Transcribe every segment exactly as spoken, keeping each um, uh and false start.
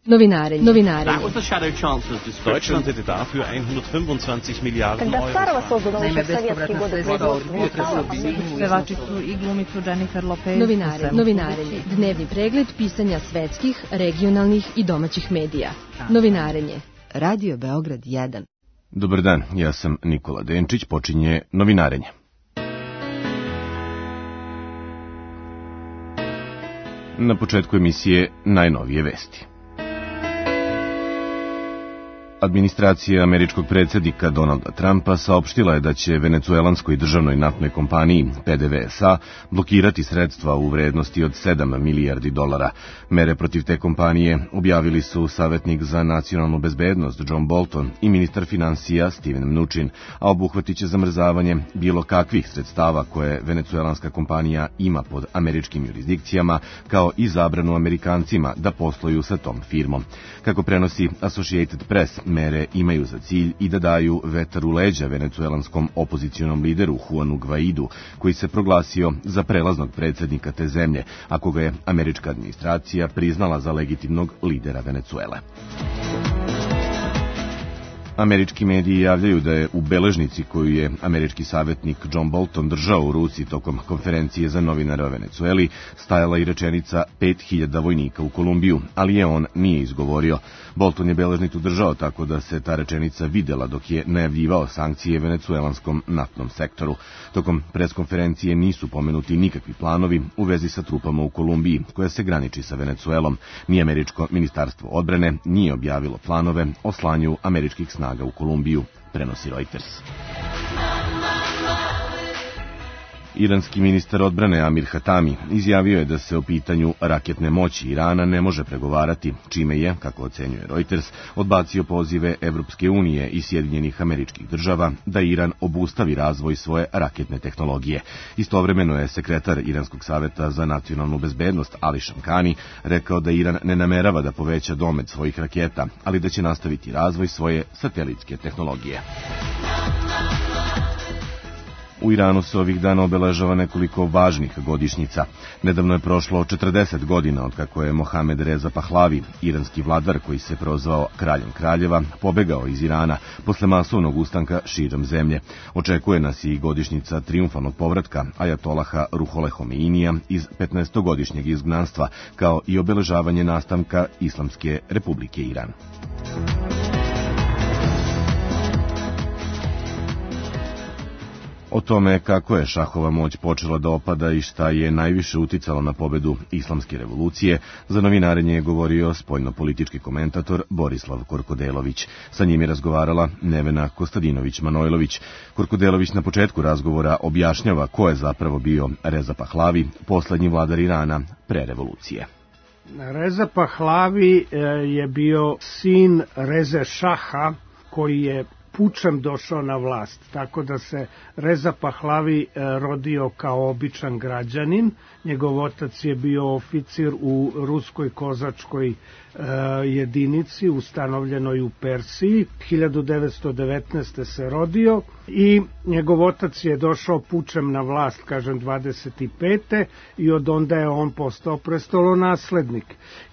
Novinarenje. Novinarenje. Deutschland hätte dafür hundertfünfundzwanzig Miliarden Euro. Naime, bespovratna sredstva od potresa bili pevačicu i glumicu Jennifer Lopez. Novinarenje. Novinarenje. Dnevni pregled pisanja svetskih, regionalnih i domaćih medija. Novinarenje. Radio Beograd jedan. Dobar dan, ja sam Nikola Denčić, počinje Novinarenje. Na početku emisije najnovije vesti. Administracija američkog predsjednika Donalda Trumpa saopštila je da će venecuelanskoj državnoj naftnoj kompaniji P D V S A blokirati sredstva u vrednosti od sedam milijardi dolara. Mere protiv te kompanije objavili su savjetnik za nacionalnu bezbednost John Bolton i ministar finansija Steven Mnuchin, a obuhvatit će zamrzavanje bilo kakvih sredstava koje venecuelanska kompanija ima pod američkim jurisdikcijama, kao i zabranu Amerikancima da posluju sa tom firmom. Kako prenosi Associated Press, mere imaju za cilj i da daju vetar u leđa venecuelanskom opozicionom lideru Juanu Guaidu, koji se proglasio za prelaznog predsjednika te zemlje, a koga je američka administracija priznala za legitimnog lidera Venecuele. Američki mediji javljaju da je u beležnici koju je američki savjetnik John Bolton držao u ruci tokom konferencije za novinare o Venecueli stajala i rečenica pet hiljada vojnika u Kolumbiju, ali je on nije izgovorio. Bolton je beležnicu držao tako da se ta rečenica videla dok je najavljivao sankcije venecuelanskom naftnom sektoru. Tokom preskonferencije nisu pomenuti nikakvi planovi u vezi sa trupama u Kolumbiji, koja se graniči sa Venecuelom. Ni američko ministarstvo odbrane nije objavilo planove o slanju američkih snaga u Kolumbiju, prenosi Reuters. Iranski ministar odbrane Amir Hatami izjavio je da se o pitanju raketne moći Irana ne može pregovarati, čime je, kako ocenjuje Reuters, odbacio pozive Evropske unije i Sjedinjenih Američkih Država da Iran obustavi razvoj svoje raketne tehnologije. Istovremeno je sekretar Iranskog saveta za nacionalnu bezbednost Ali Shamkhani rekao da Iran ne namerava da poveća domet svojih raketa, ali da će nastaviti razvoj svoje satelitske tehnologije. U Iranu se ovih dana obeležava nekoliko važnih godišnjica. Nedavno je prošlo četrdeset godina od kako je Mohamed Reza Pahlavi, iranski vladar koji se prozvao kraljem kraljeva, pobegao iz Irana posle masovnog ustanka širom zemlje. Očekuje nas i godišnjica trijumfalnog povratka ajatolaha Ruhole Homeinija iz petnaestogodišnjeg izgnanstva, kao i obeležavanje nastanka Islamske Republike Iran. O tome kako je šahova moć počela da opada i šta je najviše uticalo na pobedu Islamske revolucije, za Novinarenje je govorio spoljno-politički komentator Borislav Korkodelović. Sa njim je razgovarala Nevena Kostadinović-Manojlović. Korkodelović na početku razgovora objašnjava ko je zapravo bio Reza Pahlavi, poslednji vladar Irana pre revolucije. Reza Pahlavi je bio sin Reze Šaha, koji je pučem došao na vlast, tako da se Reza Pahlavi rodio kao običan građanin. Njegov otac je bio oficir u ruskoj kozačkoj jedinici ustanovljenoj u Persiji. hiljadu devetsto devetnaeste. se rodio i njegov otac je došao pučem na vlast, kažem, dvadeset pete. i od onda je on postao prestolonaslednik.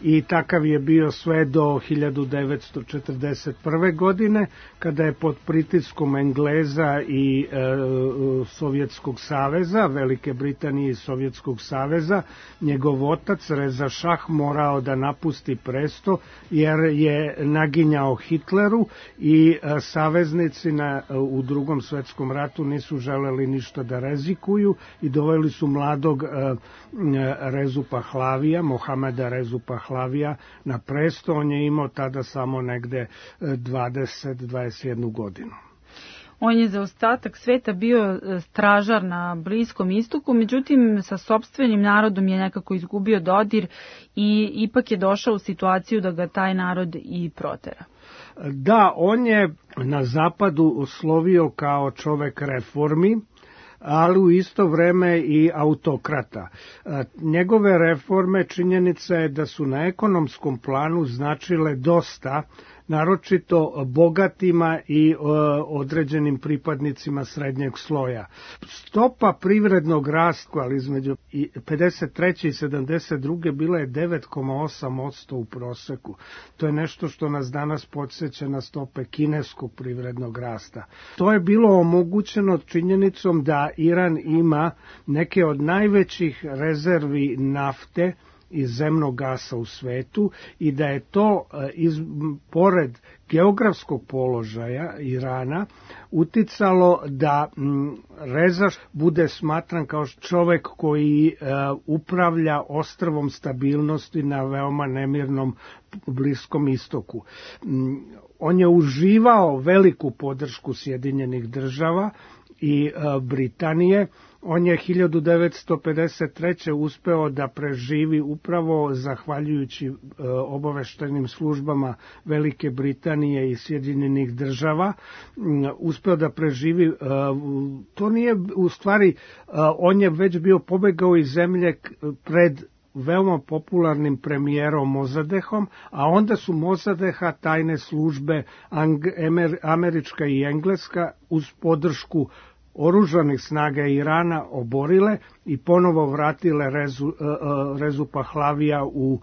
I takav je bio sve do hiljadu devetsto četrdeset prve. godine, kada je pod pritiskom Engleza i e, Sovjetskog saveza, Velike Britanije i Sovjetskog saveza, njegov otac Reza Šah morao da napusti presto jer je naginjao Hitleru i e, saveznici na, u drugom svetskom ratu nisu želeli ništa da rizikuju i doveli su mladog e, Rezu Pahlavija, Mohameda Rezu Pahlavija na presto. On je imao tada samo negde dvadeset do dvadeset jednu godinu. On je za ostatak sveta bio stražar na Bliskom istoku, međutim sa sopstvenim narodom je nekako izgubio dodir i ipak je došao u situaciju da ga taj narod i protera. Da, on je na zapadu oslovio kao čovek reformi, ali u isto vreme i autokrata. Njegove reforme, činjenica je da su na ekonomskom planu značile dosta naročito bogatima i određenim pripadnicima srednjeg sloja. Stopa privrednog rasta, ali između pedeset treće i sedamdeset druge bila je devet zarez osam posto u proseku. To je nešto što nas danas podsjeća na stope kineskog privrednog rasta. To je bilo omogućeno činjenicom da Iran ima neke od najvećih rezervi nafte i zemnog gasa u svetu i da je to iz, pored geografskog položaja Irana uticalo da m, Reza bude smatran kao čovek koji e, upravlja ostrvom stabilnosti na veoma nemirnom Bliskom istoku. M, on je uživao veliku podršku Sjedinjenih država i e, Britanije. On je hiljadu devetsto pedeset treće uspeo da preživi upravo zahvaljujući e, obaveštajnim službama Velike Britanije i Sjedinjenih država. M, uspeo da preživi, e, to nije u stvari, e, on je već bio pobegao iz zemlje pred veoma popularnim premijerom Mozadehom, a onda su Mozadeha tajne službe američka i engleska uz podršku oružanih snaga Irana oborile i ponovo vratile Rezu, Rezu Pahlavija u,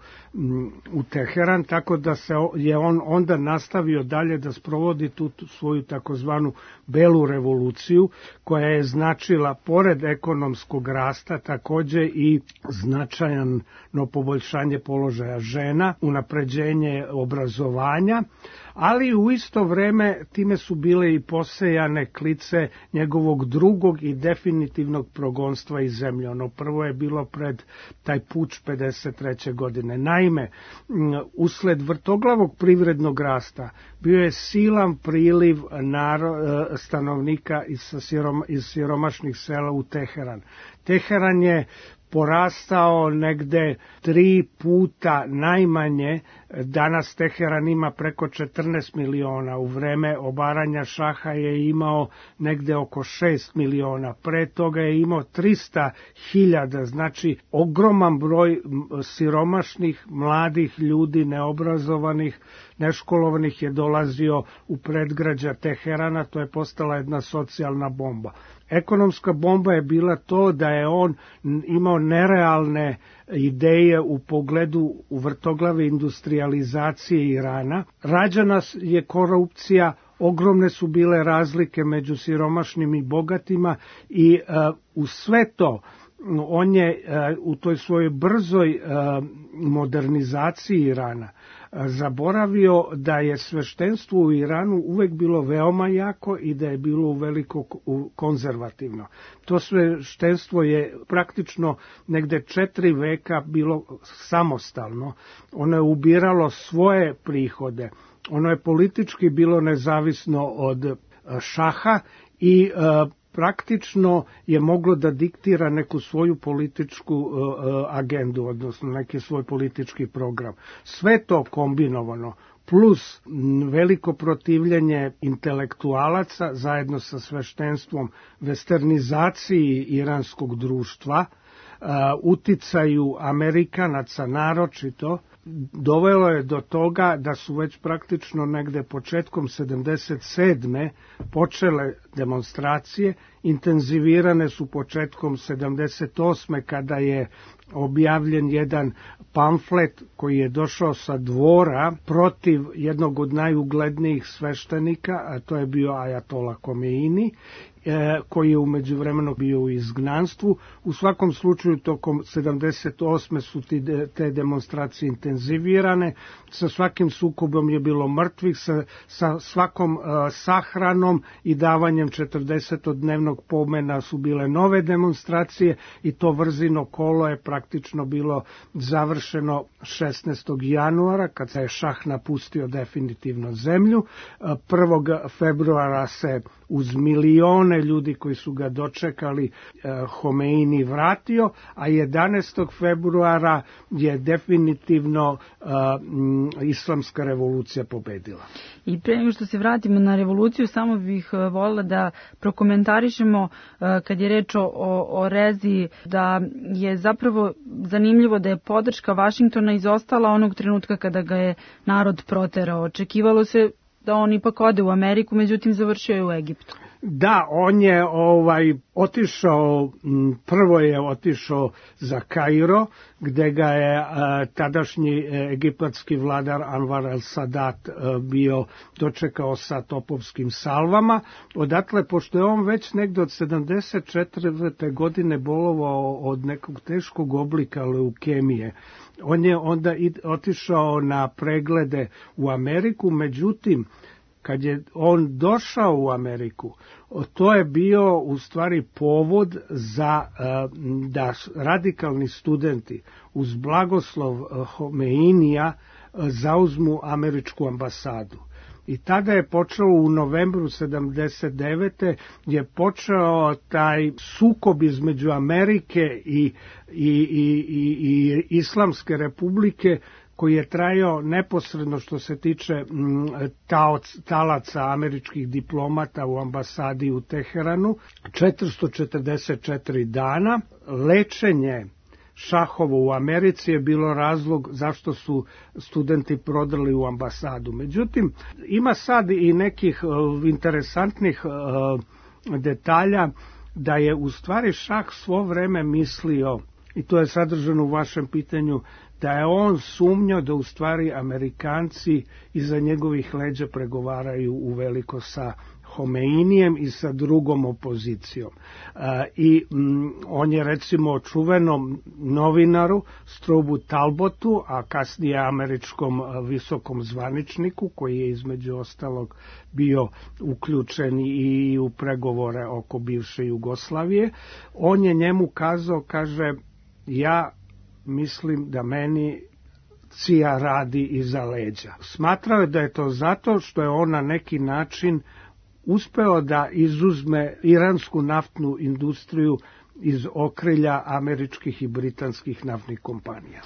u Teheran, tako da se je on onda nastavio dalje da sprovodi tu svoju takozvanu belu revoluciju, koja je značila, pored ekonomskog rasta, takođe i značajno poboljšanje položaja žena, unapređenje obrazovanja, ali u isto vreme time su bile i posejane klice njegovog drugog i definitivnog progonstva iz zemlje. Ono prvo je bilo pred taj puč pedeset treće godine. Naime, usled vrtoglavog privrednog rasta bio je silan priliv naro, stanovnika iz, siroma, iz siromašnih sela u Teheran. Teheran je porastao negde tri puta najmanje. Danas Teheran ima preko četrnaest miliona, u vreme obaranja šaha je imao negde oko šest miliona, pre toga je imao trista hiljada, znači ogroman broj siromašnih, mladih ljudi, neobrazovanih, neškolovanih je dolazio u predgrađa Teherana, to je postala jedna socijalna bomba. Ekonomska bomba je bila to da je on imao nerealne ideje u pogledu u vrtoglave industrializacije Irana. Rađana je korupcija, ogromne su bile razlike među siromašnim i bogatima i uh, u sve to on je uh, u toj svojoj brzoj uh, modernizaciji Irana zaboravio da je sveštenstvo u Iranu uvek bilo veoma jako i da je bilo veliko konzervativno. To sveštenstvo je praktično negde četiri veka bilo samostalno. Ono je ubiralo svoje prihode. Ono je politički bilo nezavisno od šaha i uh, praktično je moglo da diktira neku svoju političku uh, agendu, odnosno neki svoj politički program. Sve to kombinovano, plus veliko protivljenje intelektualaca zajedno sa sveštenstvom, westernizaciji iranskog društva, uh, uticaju Amerikanaca naročito, dovelo je do toga da su već praktično negde početkom sedamdeset sedme počele demonstracije, intenzivirane su početkom sedamdeset osme kada je objavljen jedan pamflet koji je došao sa dvora protiv jednog od najuglednijih sveštenika, a to je bio Ajatola Komeini, koji je u međuvremenu bio u izgnanstvu. U svakom slučaju tokom sedamdeset osme su te demonstracije intenzivirane, sa svakim sukobom je bilo mrtvih, sa, sa svakom uh, sahranom i davanjem četrdesetodnevnog pomena su bile nove demonstracije i to vrzino kolo je praktično bilo završeno šesnaestog januara kad se je šah napustio definitivno zemlju. prvog februara se uz milione vreme ljudi koji su ga dočekali Homeini vratio, a jedanaestog februara je definitivno islamska revolucija pobedila. I pre nego što se vratimo na revoluciju, samo bih voljela da prokomentarišemo kad je reč o, o rezi, da je zapravo zanimljivo da je podrška Vašingtona izostala onog trenutka kada ga je narod proterao. Očekivalo se da on ipak ode u Ameriku, međutim završio je u Egiptu. Da, on je ovaj otišao, prvo je otišao za Kairo, gde ga je a, tadašnji egipatski vladar Anwar el-Sadat a, bio dočekao sa topovskim salvama. Odatle, pošto je on već negde od sedamdeset četvrte godine bolovao od nekog teškog oblika leukemije, on je onda otišao na preglede u Ameriku, međutim, kad je on došao u Ameriku, to je bio u stvari povod za da radikalni studenti uz blagoslov Homeinija zauzmu američku ambasadu. I tada je počelo u novembru sedamdeset devete je počeo taj sukob između Amerike i, i, i, i, i Islamske republike, koji je trajao neposredno što se tiče taoc, talaca američkih diplomata u ambasadi u Teheranu, četiristo četrdeset četiri dana. Lečenje Šahovo u Americi je bilo razlog zašto su studenti prodali u ambasadu. Međutim, ima sad i nekih uh, interesantnih uh, detalja da je u stvari Šah svo vreme mislio, i to je sadržano u vašem pitanju, da je on sumnjao da u stvari Amerikanci iza njegovih leđa pregovaraju uveliko sa Homeinijem i sa drugom opozicijom. I on je recimo čuvenom novinaru Strobu Talbotu, a kasnije američkom visokom zvaničniku, koji je između ostalog bio uključen i u pregovore oko bivše Jugoslavije, on je njemu kazao, kaže, ja mislim da meni C I A radi iza leđa. Smatrao je da je to zato što je on na neki način uspeo da izuzme iransku naftnu industriju iz okrilja američkih i britanskih naftnih kompanija.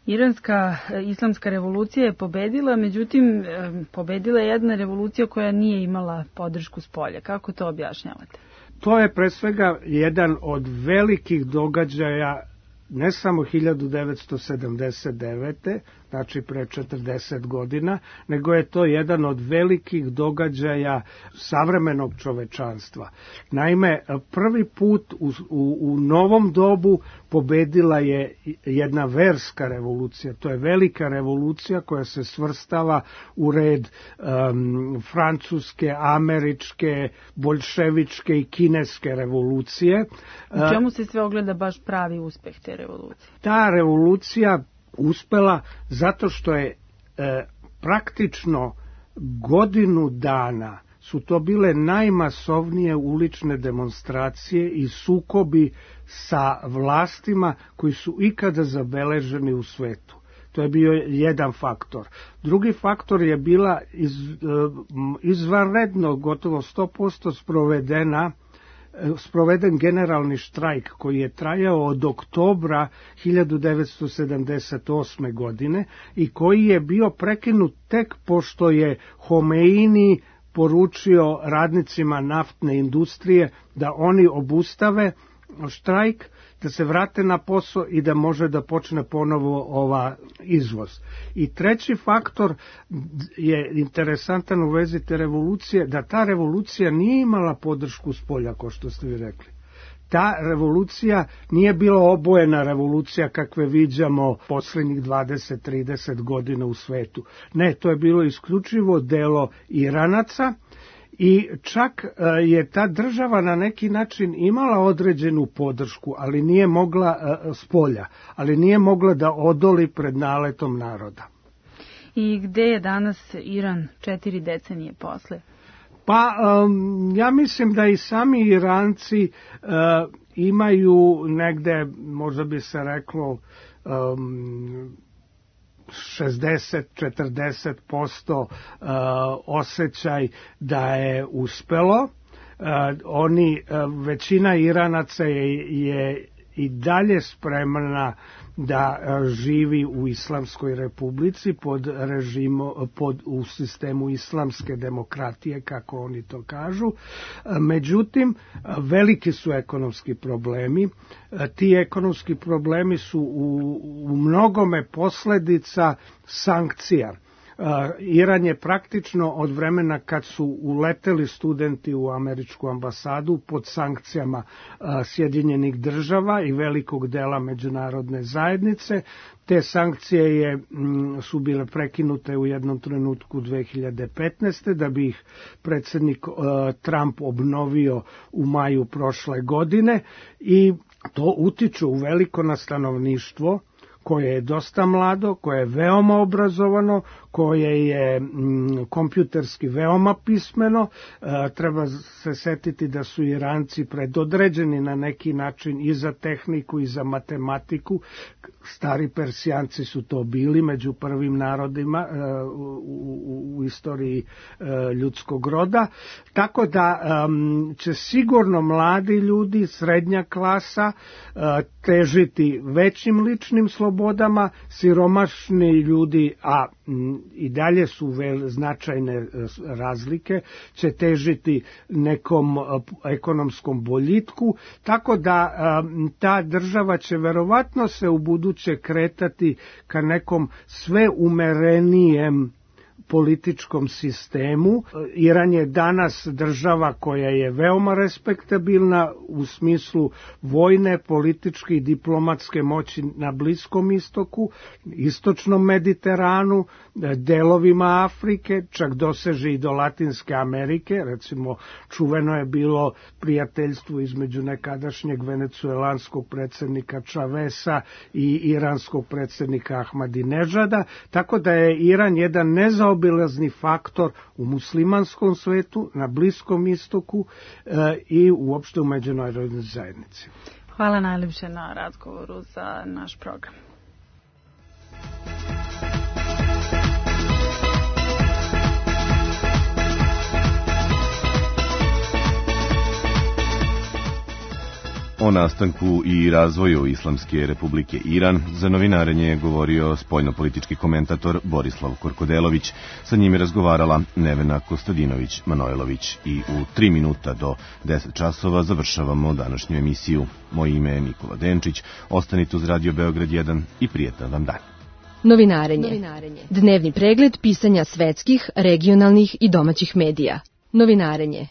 Iranska islamska revolucija je pobedila, međutim pobedila je jedna revolucija koja nije imala podršku spolja. Kako to objašnjavate? To je pre svega jedan od velikih događaja ne samo hiljadu devetsto sedamdeset devete, znači pre četrdeset godina, nego je to jedan od velikih događaja savremenog čovečanstva. Naime, prvi put u, u, u novom dobu pobedila je jedna verska revolucija. To je velika revolucija koja se svrstava u red um, francuske, američke, boljševičke i kineske revolucije. U čemu se sve ogleda baš pravi uspeh te revolucije? Ta revolucija uspela zato što je e, praktično godinu dana su to bile najmasovnije ulične demonstracije i sukobi sa vlastima koji su ikada zabeleženi u svetu. To je bio jedan faktor. Drugi faktor je bila iz, izvanredno, gotovo sto posto sprovedena sproveden generalni štrajk koji je trajao od oktobra hiljadu devetsto sedamdeset osme. godine i koji je bio prekinut tek pošto je Homeini poručio radnicima naftne industrije da oni obustave štrajk, da se vrate na posao i da može da počne ponovo ova izvoz. I treći faktor je interesantan u vezi te revolucije, da ta revolucija nije imala podršku spolja, kao što ste vi rekli. Ta revolucija nije bila obojena revolucija kakve viđamo poslednjih dvadeset trideset godina u svetu. Ne, to je bilo isključivo delo Iranaca, i čak je ta država na neki način imala određenu podršku, ali nije mogla spolja, ali nije mogla da odoli pred naletom naroda. I gde je danas Iran četiri decenije posle? Pa um, ja mislim da i sami Iranci uh, imaju negde, možda bi se reklo, um, šezdeset do četrdeset posto uh, osjećaj da je uspelo. Oni, većina Iranaca je, je i dalje spremna da živi u Islamskoj republici pod režimo, pod, u sistemu islamske demokratije, kako oni to kažu. Međutim, veliki su ekonomski problemi. Ti ekonomski problemi su u, u mnogome posledica sankcija. Iran je praktično od vremena kad su uleteli studenti u američku ambasadu pod sankcijama Sjedinjenih država i velikog dela međunarodne zajednice. Te sankcije je, su bile prekinute u jednom trenutku dve hiljade petnaeste. da bi ih predsjednik Trump obnovio u maju prošle godine i to utiče u veliko na stanovništvo koje je dosta mlado, koje je veoma obrazovano, koje je mm, kompjuterski veoma pismeno. E, treba se setiti da su Iranci predodređeni na neki način i za tehniku i za matematiku. Stari Persijanci su to bili među prvim narodima e, u, u, u istoriji e, ljudskog roda. Tako da e, će sigurno mladi ljudi, srednja klasa, e, težiti većim ličnim slobodama, siromašni ljudi, a m, i dalje su vel, značajne razlike, će težiti nekom ekonomskom boljitku, tako da ta država će verovatno se u buduće kretati ka nekom sve umerenijem političkom sistemu. Iran je danas država koja je veoma respektabilna u smislu vojne, političke i diplomatske moći na Bliskom istoku, istočnom Mediteranu, delovima Afrike, čak doseže i do Latinske Amerike. Recimo, čuveno je bilo prijateljstvo između nekadašnjeg venecuelanskog predsjednika Chavesa i iranskog predsjednika Ahmadinežada, tako da je Iran jedan nezaobilazni obilazni faktor u muslimanskom svetu, na Bliskom istoku e, i uopšte u međunarodnoj zajednici. Hvala najljepše na razgovoru za naš program. O nastanku i razvoju Islamske republike Iran za novinarenje je govorio spoljnopolitički komentator Borislav Korkodelović. Sa njim je razgovarala Nevena Kostadinović-Manojlović i u tri minuta do deset časova završavamo današnju emisiju. Moje ime je Nikola Denčić. Ostanite uz Radio Beograd jedan i prijetan vam dan. Novinarenje. Novinarenje. Dnevni pregled pisanja svetskih, regionalnih i domaćih medija. Novinarenje.